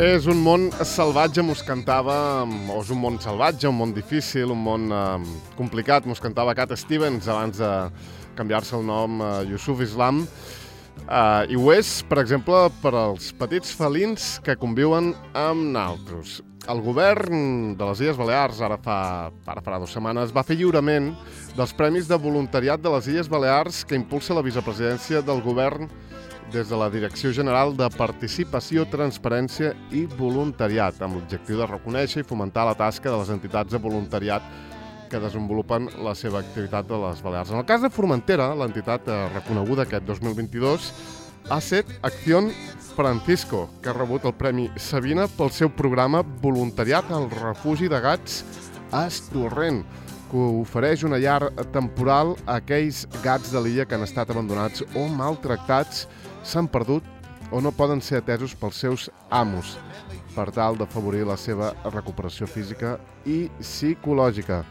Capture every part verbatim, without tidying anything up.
És un món salvatge, mos cantava, o és un món salvatge, un món difícil, un món eh, complicat, mos cantava Cat Stevens abans de canviar-se el nom a Yusuf Islam. Uh, I ho és, per exemple, per als petits felins que conviuen amb naltros. El govern de les Illes Balears, ara fa, ara farà dues setmanes, va fer lliurament dels Premis de Voluntariat de les Illes Balears que impulsa la vicepresidència del govern des de la Direcció General de Participació, Transparència i Voluntariat, amb l'objectiu de reconèixer i fomentar la tasca de les entitats de voluntariat que desenvolupen la seva activitat a les Balears. En el cas de Formentera, l'entitat reconeguda aquest dos mil vint-i-dos ha estat Acción Francisco, que ha rebut el Premi Sabina pel seu programa Voluntariat al Refugi de Gats a Estorrent, que ofereix una llar temporal a aquells gats de l'illa que han estat abandonats o maltractats, s'han perdut o no poden ser atesos pels seus amos, per tal d'afavorir la seva recuperació física i psicològica.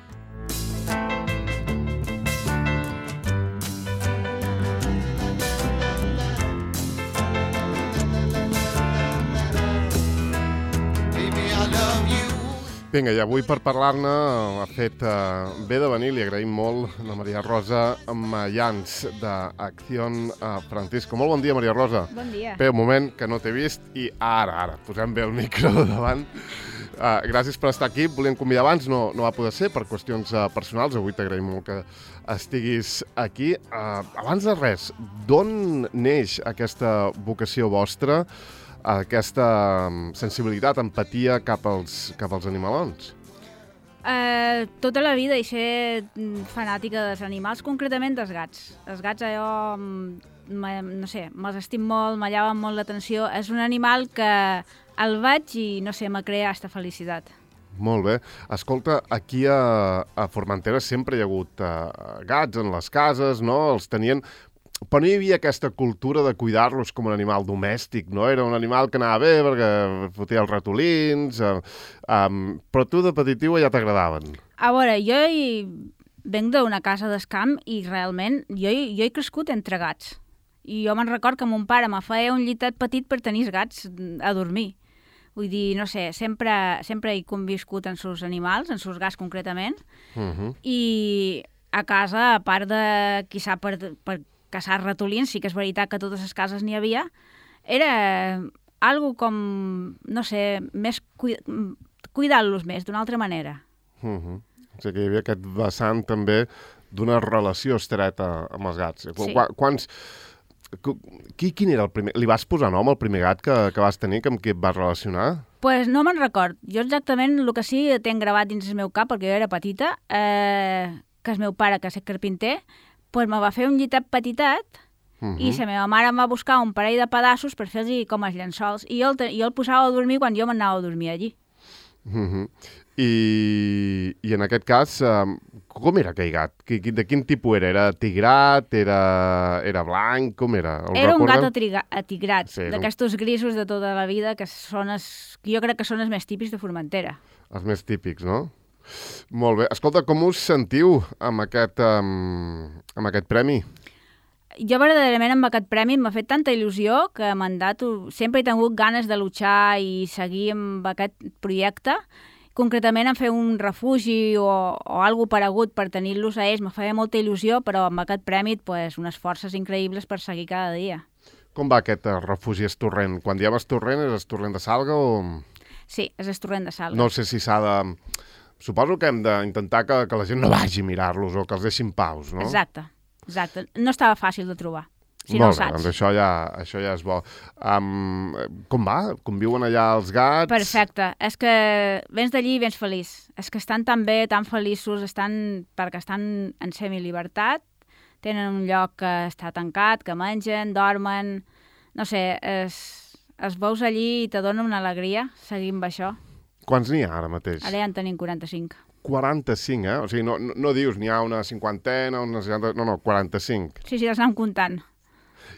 Vinga, i avui per parlar-ne ha fet uh, bé de venir, li agraïm molt a Maria Rosa Mayans d'Acción uh, Francisco. Molt bon dia, Maria Rosa. Bon dia. Bé, un moment que no t'he vist i ara, ara, posem bé el micro davant. Uh, gràcies per estar aquí. Volíem convidar abans, no, no va poder ser per qüestions uh, personals. Avui t'agraïm molt que estiguis aquí. Uh, abans de res, d'on neix aquesta vocació vostra, aquesta sensibilitat, empatia cap als, cap als animalons? Uh, tota la vida he set fanàtica dels animals, concretament dels gats. Els gats, allò, no sé, me'ls estim molt, me llaven molt l'atenció. És un animal que el veig i, no sé, me crea aquesta felicitat. Molt bé. Escolta, aquí a, a Formentera sempre hi ha hagut uh, gats en les cases, no? Els tenien... Però no hi havia aquesta cultura de cuidar-los com un animal domèstic, no? Era un animal que anava bé perquè fotia els ratolins, eh, um, però tu de petitiu ja t'agradaven. A veure, jo hi venc d'una casa d'escamp i realment jo, jo he crescut entre gats. I jo me'n record que mon pare me feia un llitet petit per tenir els gats a dormir. Vull dir, no sé, sempre, sempre he conviscut en sus animals, en sus gats concretament, uh-huh. I a casa, a part de, quizà per... per caçar ratolins, sí que és veritat que a totes les cases n'hi havia, era algo com, no sé, més cuida... cuidar-los més, d'una altra manera. Uh-huh. O sigui que hi havia aquest vessant també d'una relació estreta amb els gats. Sí. Qu quants... Qui, quin era el primer... Li vas posar nom al primer gat que, que vas tenir, amb qui et vas relacionar? Doncs pues no me'n record. Jo exactament el que sí tenc gravat dins el meu cap, perquè jo era petita, eh, que és meu pare, que és carpinter, pues me va fer un llitet petitet uh-huh. I la meva mare em va buscar un parell de pedaços per fer-los com els llençols i jo el, jo el posava a dormir quan jo m'anava a dormir allí. Uh-huh. I, I en aquest cas, um, com era aquell gat? De quin tipus era? Era tigrat? Era, era blanc? Com era? El era un recorden? gat atriga, atigrat, sí, d'aquestos grisos de tota la vida que són els, jo crec que són els més típics de Formentera. Els més típics, no? Molt bé. Escolta, com us sentiu amb aquest, um, amb aquest premi? Jo verdaderament amb aquest premi m'ha fet tanta il·lusió que m'han dat... Sempre he tingut ganes de luchar i seguir amb aquest projecte. Concretament en fer un refugi o, o alguna paregut per tenir-los a ells. Me feia molta il·lusió, però amb aquest premi pues, unes forces increïbles per seguir cada dia. Com va aquest uh, refugi Estorrent? Quan diem Estorrent, és Estorrent de Salga o...? Sí, és Estorrent de Salga. No sé si s'ha de... Suposo que hem d'intentar que, que la gent no vagi a mirar-los o que els deixin paus, no? Exacte, exacte. No estava fàcil de trobar, si Molt no bé, saps. doncs això ja, això ja és bo. Um, com va? Conviuen allà els gats? Perfecte. És que vens d'allí i vens feliç. És que estan tan bé, tan feliços, estan perquè estan en semillibertat, tenen un lloc que està tancat, que mengen, dormen... No sé, es, es veus allí i te dona una alegria seguir amb això. Quants n'hi ha ara mateix? Ara ja en tenim quaranta-cinc. quaranta-cinc, eh? O sigui, no, no, no dius n'hi ha una cinquantena, una seixanta... No, no, quaranta-cinc. Sí, sí, els anem comptant.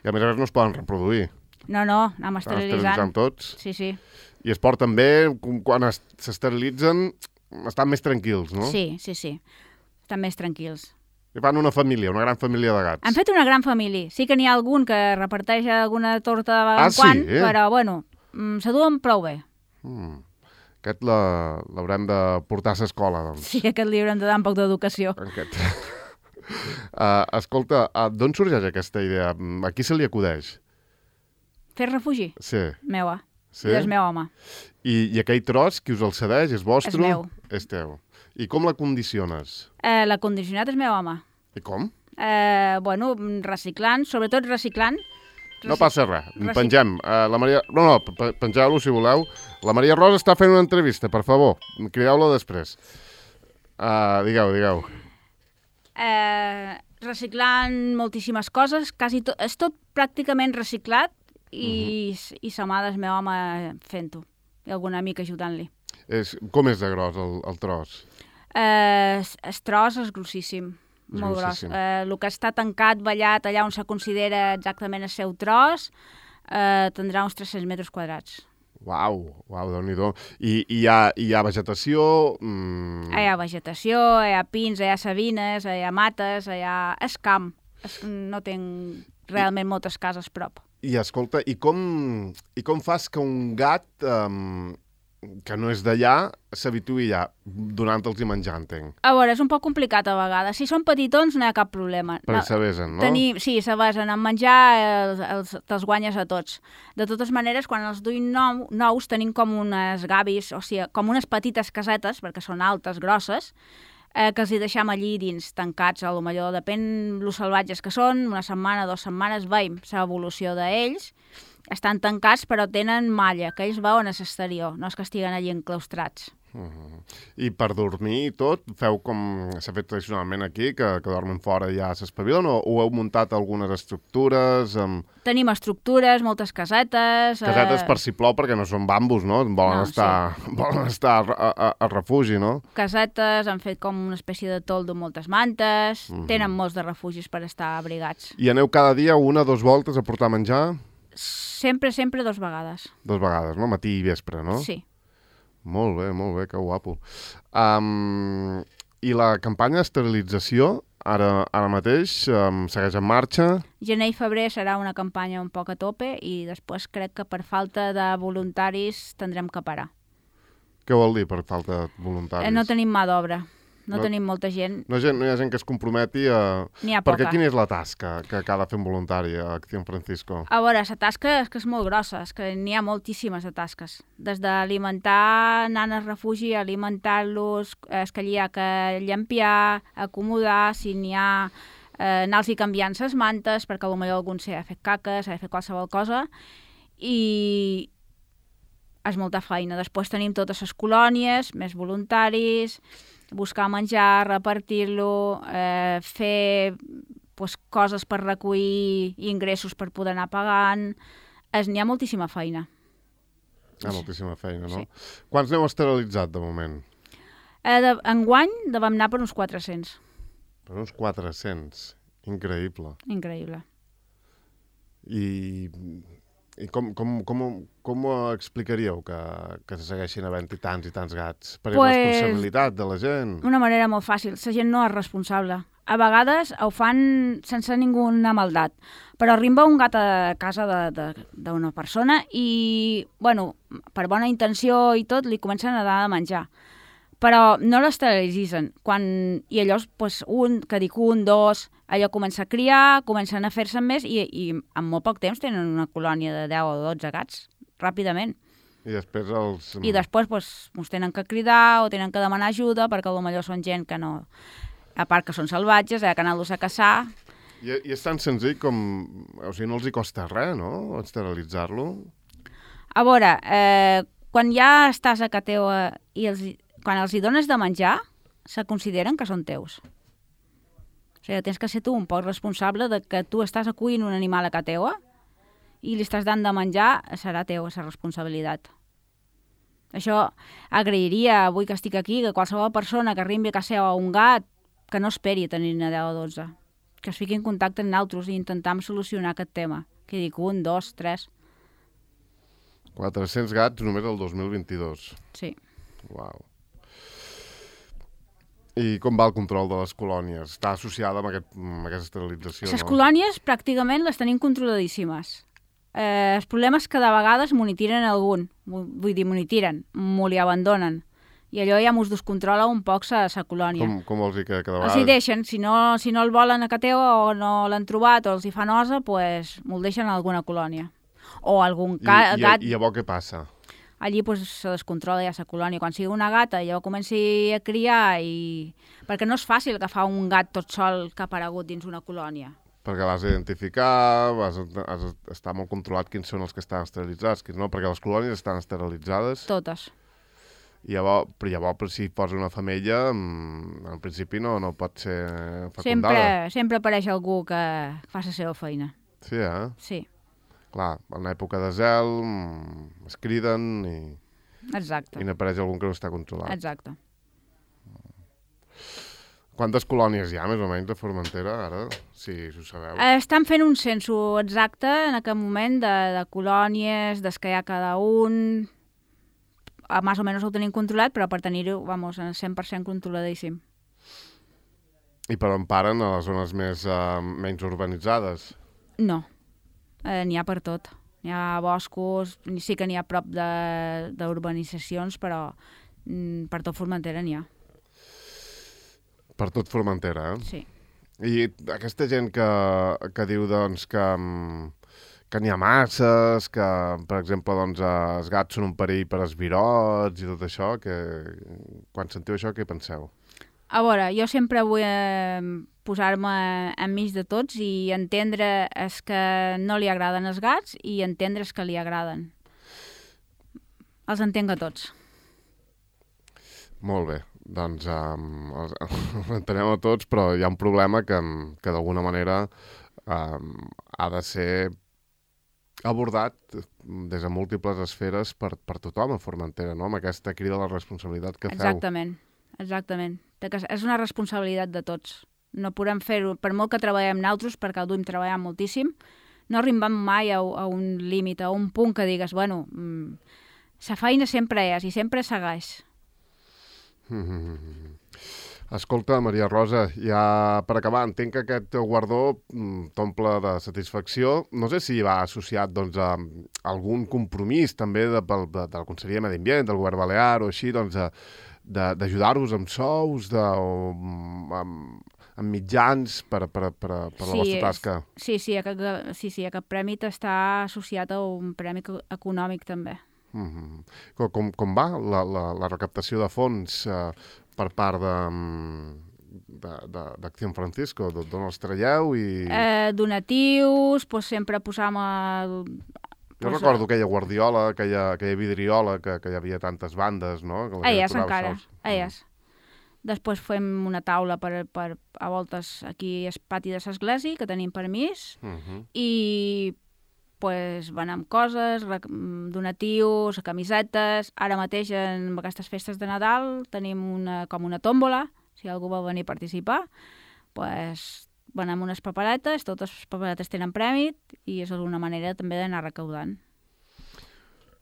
I a més a més no es poden reproduir. No, no, anem esterilitzant. Esterilitzant tots. Sí, sí. I es porten bé, quan s'esterilitzen estan més tranquils, no? Sí, sí, sí. Estan més tranquils. I fan una família, una gran família de gats. Han fet una gran família. Sí que n'hi ha algun que reparteix alguna torta de vegades ah, en quan, sí, eh? però, bueno, se duen prou bé. Mm. Aquest la- l'haurem de portar a l'escola, doncs. Sí, aquest li haurem de dar un poc d'educació. Aquest. uh, escolta, uh, d'on sorgeix aquesta idea? A qui se li acudeix? Fer refugi? Sí. Meua. Sí? I és meu home. I, I aquell tros, qui us el cedeix? És vostre? És meu. És teu. I com la condiciones? Eh, L'acondicionat és meu home. I com? Eh, bueno, reciclant, sobretot reciclant. No passa res, Reci- pengem. Uh, la Maria... No, no, pe- pengeu-lo si voleu. La Maria Rosa està fent una entrevista, per favor. Crideu-la després. Uh, digueu, digueu. Eh, reciclant moltíssimes coses, quasi tot, és tot pràcticament reciclat i, uh-huh. i sa mare és meu home fent-ho. I algun amic ajudant-li. És, com és de gros el, el tros? Eh, es, es tros és grossíssim. És Molt gros. grossíssim. Eh, el que està tancat, ballat, allà on se considera exactament el seu tros, eh, tindrà uns tres-cents metres quadrats. Uau, uau, Déu-n'hi-do. I, i hi, ha, hi ha vegetació... Mm... Hi ha vegetació, hi ha pins, hi ha sabines, hi ha mates, hi ha... És camp. És... No tinc realment I... moltes cases prop. I escolta, i com, i com fas que un gat um, que no és d'allà s'habituï ja donant-los i menjar, entenc? A veure, és un poc complicat a vegades. Si són petitons no hi ha cap problema. Perquè No, s'avesen, no? tenir, sí, se basen en menjar, els, els, te'ls guanyes a tots. De totes maneres, quan els duim nou, nous, tenim com unes gavis, o sigui, com unes petites casetes, perquè són altes, grosses, eh, que els hi deixam allí dins, tancats, a lo millor, depèn los salvatges que són, una setmana, dues setmanes, veiem l'evolució d'ells, estan tancats però tenen malla, que ells veuen a l'exterior, no és que estiguen allí enclaustrats. Uh -huh. I per dormir i tot, feu com s'ha fet tradicionalment aquí, que, que dormen fora i ja s'espavilen, o, o heu muntat algunes estructures? Amb... Tenim estructures, moltes casetes... Casetes eh... per si plou, perquè no són bambus, no? Volen No, estar, sí. volen estar a, a, a refugi, no? Casetes, han fet com una espècie de toldo amb moltes mantes, Uh -huh. tenen molts de refugis per estar abrigats. I aneu cada dia una o dues voltes a portar menjar? Sempre, sempre dos vegades. Dos vegades, no? Matí i vespre, no? Sí. Molt bé, molt bé, que guapo. Um, I la campanya d'esterilització, ara, ara mateix, um, segueix en marxa? Gener i febrer serà una campanya un poc a tope i després crec que per falta de voluntaris tindrem que parar. Què vol dir per falta de voluntaris? Eh, no tenim mà d'obra, no, No- no tenim molta gent, No, gent, no hi ha gent que es comprometi a... n'hi ha Perquè poca. quina és la tasca que, que ha de fer un voluntari a Acción Francisco? A veure, la tasca és que és molt grossa, és que n'hi ha moltíssimes de tasques. Des d'alimentar nanes al refugi, alimentar-los, és que allí hi ha que llampiar, acomodar, si n'hi ha, eh, anar-los canviant les mantes, perquè potser algun s'ha fet caca, s'ha fet qualsevol cosa, i és molta feina. Després tenim totes les colònies, més voluntaris, buscar menjar, repartir-lo, eh, fer pues, coses per recollir ingressos per poder anar pagant. Es, n'hi ha moltíssima feina. Hi ha moltíssima feina, no? Sí. Quants n'heu esterilitzat, de moment? Eh, de, enguany de vam anar per uns quatre-cents. Per uns quatre-cents. Increïble. Increïble. I, i com, com, com, com ho explicaríeu que, que se segueixin havent-hi tants i tants gats? Per Pues- irresponsabilitat de la gent? Una manera molt fàcil. La gent no és responsable. A vegades ho fan sense ninguna maldat. Però arriba un gat a casa d'una persona i, bueno, per bona intenció i tot, li comencen a dar de menjar. Però no l'esterilitzen. Quan... I llavors, pues, un, que dic un, dos, allò comença a criar, comencen a fer-se més i, i en molt poc temps tenen una colònia de deu o dotze gats, ràpidament. I després els... I després pues, ens tenen que cridar o tenen que demanar ajuda perquè potser són gent que no... A part que són salvatges, hi ha que anar-los a caçar. I, I és tan senzill com... O sigui, no els hi costa res, no?, esterilitzar-lo? A veure, eh, quan ja estàs a casa teva i els, quan els hi dones de menjar, se consideren que són teus. O sigui, tens que ser tu un poc responsable de que tu estàs acollint un animal a casa teva i li estàs dant de menjar, serà teu, la responsabilitat. Això agrairia, avui que estic aquí, que qualsevol persona que arribi a casa seva un gat, que no esperi tenir-ne deu o dotze, que es fiqui en contacte amb nosaltres i intentam solucionar aquest tema. Que dic, un, dos, tres... quatre-cents gats només el dos mil vint-i-dos. Sí. Uau. I com va el control de les colònies? Està associada amb, aquest, amb aquesta esterilització, Les no? colònies pràcticament les tenim controladíssimes. Eh, el problema és que de vegades m'ho n'hi tiren algun, vull dir, m'ho n'hi tiren, m'ho li abandonen. I allò ja m'ho descontrola un poc sa, sa colònia. Com, com vols dir que cada vegada... Els hi deixen, si no, si no el volen a ca teva o no l'han trobat o els hi fa nosa, pues, me'l deixen a alguna colònia. O algun ca I, i, gat... I llavors què passa? Allí pues, se descontrola ja sa colònia. Quan sigui una gata, llavors comenci a criar i... Perquè no és fàcil agafar un gat tot sol que ha aparegut dins una colònia. Perquè l'has d'identificar, has, has d'estar molt controlat quins són els que estan esterilitzats, quins no, perquè les colònies estan esterilitzades. Totes. I llavors, però llavors, si posa una femella, en principi no, no pot ser fecundada. Sempre, sempre apareix algú que fa la seva feina. Sí, eh? Sí. Clar, en època de zel, es criden i... Exacte. I n'apareix algun que no està controlat. Exacte. Quantes colònies hi ha, més o menys, de Formentera, ara? Si ho sabeu. Estan fent un censo exacte en aquest moment de, de colònies, des que hi ha cada un... Més o menys ho tenim controlat, però per tenir-ho, vamos, cent per cent controladíssim. I per on paren a les zones més, uh, menys urbanitzades? No, eh, n'hi ha per tot. N'hi ha boscos, sí que n'hi ha prop d'urbanitzacions, però mm, per tot Formentera n'hi ha. Per tot Formentera, eh? Sí. I aquesta gent que, que diu doncs, que, que n'hi ha masses, que, per exemple, doncs, els gats són un perill per als virots i tot això, que, quan sentiu això, què penseu? A veure, jo sempre vull eh, posar-me enmig de tots i entendre els que no li agraden els gats i entendre els que li agraden. Els entenc a tots. Molt bé. Doncs um, els, els entenem a tots, però hi ha un problema que, que d'alguna manera um, ha de ser abordat des de múltiples esferes per, per tothom a Formentera, no? Amb aquesta crida a la responsabilitat que feu. Exactament, exactament. És una responsabilitat de tots. No podem fer-ho, per molt que treballem nosaltres, perquè el duim treballant moltíssim, no arribem mai a, a un límit, a un punt que digues, bueno, mmm, sa feina sempre és i sempre segueix. Mm-hmm. Escolta, Maria Rosa, ja per acabar, entenc que aquest teu guardó t'omple de satisfacció. No sé si va associat doncs, a algun compromís també de, de, de la Conselleria de Medi Ambient, del Govern Balear o així, doncs, d'ajudar-vos amb sous, de, o, amb, amb mitjans per, per, per, per la sí, vostra tasca. Sí, sí, aquest, sí, sí, aquest premi està associat a un premi econòmic també. Mm-hmm. Com, com va la, la, la recaptació de fons eh, per part d'Acció Francisco? D'on els traieu? I... Eh, donatius, pues, sempre posam... El, jo pues, recordo aquella guardiola, aquella, aquella vidriola, que, que hi havia tantes bandes, no? Elles encara, elles. Després fem una taula per, per a voltes aquí al pati de l'església, que tenim permís, uh-huh. i pues, van amb coses, donatius, camisetes. Ara mateix, en aquestes festes de Nadal, tenim una, com una tòmbola, si algú vol venir a participar, pues, van amb unes paperetes, totes les paperetes tenen premi, i és una manera també d'anar recaudant.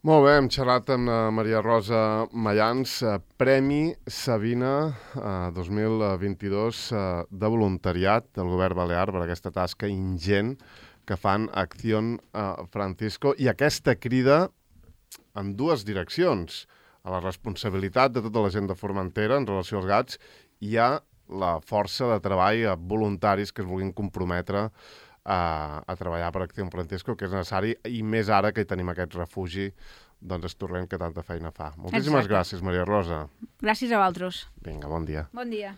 Molt bé, hem xerrat amb Maria Rosa Mayans, Premi Sabina eh, dos mil vint-i-dos eh, de voluntariat del Govern Balear per aquesta tasca ingent que fan Acció uh, Francisco, i aquesta crida en dues direccions. A la responsabilitat de tota la gent de Formentera en relació als gats i a la força de treball a voluntaris que es vulguin comprometre a, a treballar per Acció Francisco, que és necessari, i més ara que hi tenim aquest refugi doncs Estorrent que tanta feina fa. Moltíssimes Exacte. Gràcies, Maria Rosa. Gràcies a vosaltres. Vinga, bon dia. Bon dia.